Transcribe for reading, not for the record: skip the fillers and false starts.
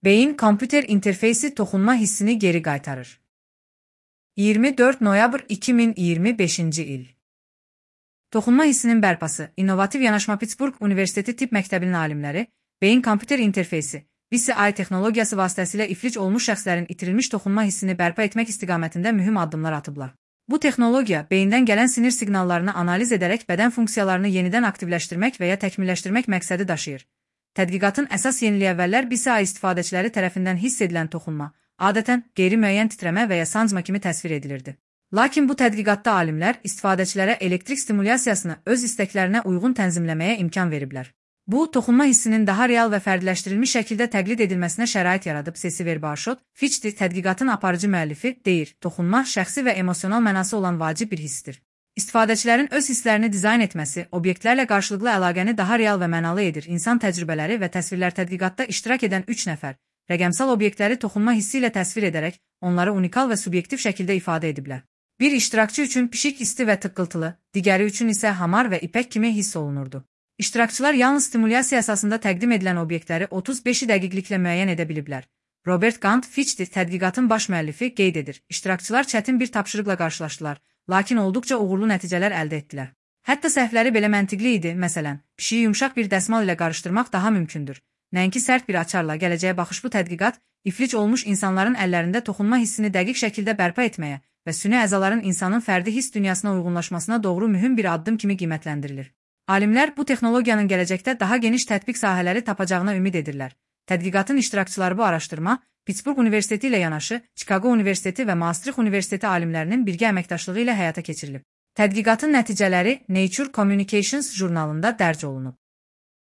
Beyin-kompüter interfeysi toxunma hissini geri qaytarır. 24 noyabr 2025-ci il. Toxunma hissinin bərpası, innovativ yanaşma Pittsburgh Universiteti Tibb Məktəbinin alimləri, beyin-kompüter interfeysi, BCI texnologiyası vasitəsilə iflic olmuş şəxslərin itirilmiş toxunma hissini bərpa etmək istiqamətində mühüm addımlar atıblar. Bu texnologiya, beyindən gələn sinir siqnallarını analiz edərək bədən funksiyalarını yenidən aktivləşdirmək və ya təkmilləşdirmək məqsədi daşıyır. Tədqiqatın əsas yeniliyəvvəllər BCI istifadəçiləri tərəfindən hiss edilən toxunma, adətən qeyri-müəyyən titrəmə və ya sancma kimi təsvir edilirdi. Lakin bu tədqiqatda alimlər istifadəçilərə elektrik stimulyasiyasını öz istəklərinə uyğun tənzimləməyə imkan veriblər. Bu, toxunma hissinin daha real və fərdiləşdirilmiş şəkildə təqlid edilməsinə şərait yaradıb, Cecil Barshot, Fitchdi tədqiqatın aparıcı müəllifi deyir, toxunma şəxsi və emosional mənası olan vacib bir hissdir. İstifadəçilərin öz hisslərini dizayn etməsi, obyektlərlə qarşılıqlı əlaqəni daha real və mənalı edir. İnsan təcrübələri və təsvirlər tədqiqatda iştirak edən 3 nəfər, rəqəmsal obyektləri toxunma hissi ilə təsvir edərək, onları unikal və subyektiv şəkildə ifadə ediblər. Bir iştirakçı üçün pişik isti və tıqqıltılı, digəri üçün isə hamar və ipək kimi hiss olunurdu. İştirakçılar yalnız stimulyasiya əsasında təqdim edilən obyektləri 35 dəqiqliklə müəyyən edə biliblər. Robert Gant, Fitchdi tədqiqatın baş müəllifi qeyd edir. İştirakçılar çətin bir tapşırıqla qarşılaşdılar, lakin olduqca uğurlu nəticələr əldə etdilər. Hətta səhvləri belə məntiqli idi, məsələn, pişiyi yumşaq bir dəsmal ilə qarışdırmaq daha mümkündür. Nəinki sərt bir açarla. Gələcəyə baxış bu tədqiqat, iflic olmuş insanların əllərində toxunma hissini dəqiq şəkildə bərpa etməyə və süni əzaların insanın fərdi hiss dünyasına uyğunlaşmasına doğru mühüm bir addım kimi qiymətləndirilir. Alimlər bu texnologiyanın gələcəkdə daha geniş tətbiq sahələri tapacağına ümid edirlər. Tədqiqatın iştirakçıları bu araşdırma, Pittsburgh Universiteti ilə yanaşı, Chicago Universiteti və Maastricht Universiteti alimlərinin birgə əməkdaşlığı ilə həyata keçirilib. Tədqiqatın nəticələri Nature Communications jurnalında dərc olunub.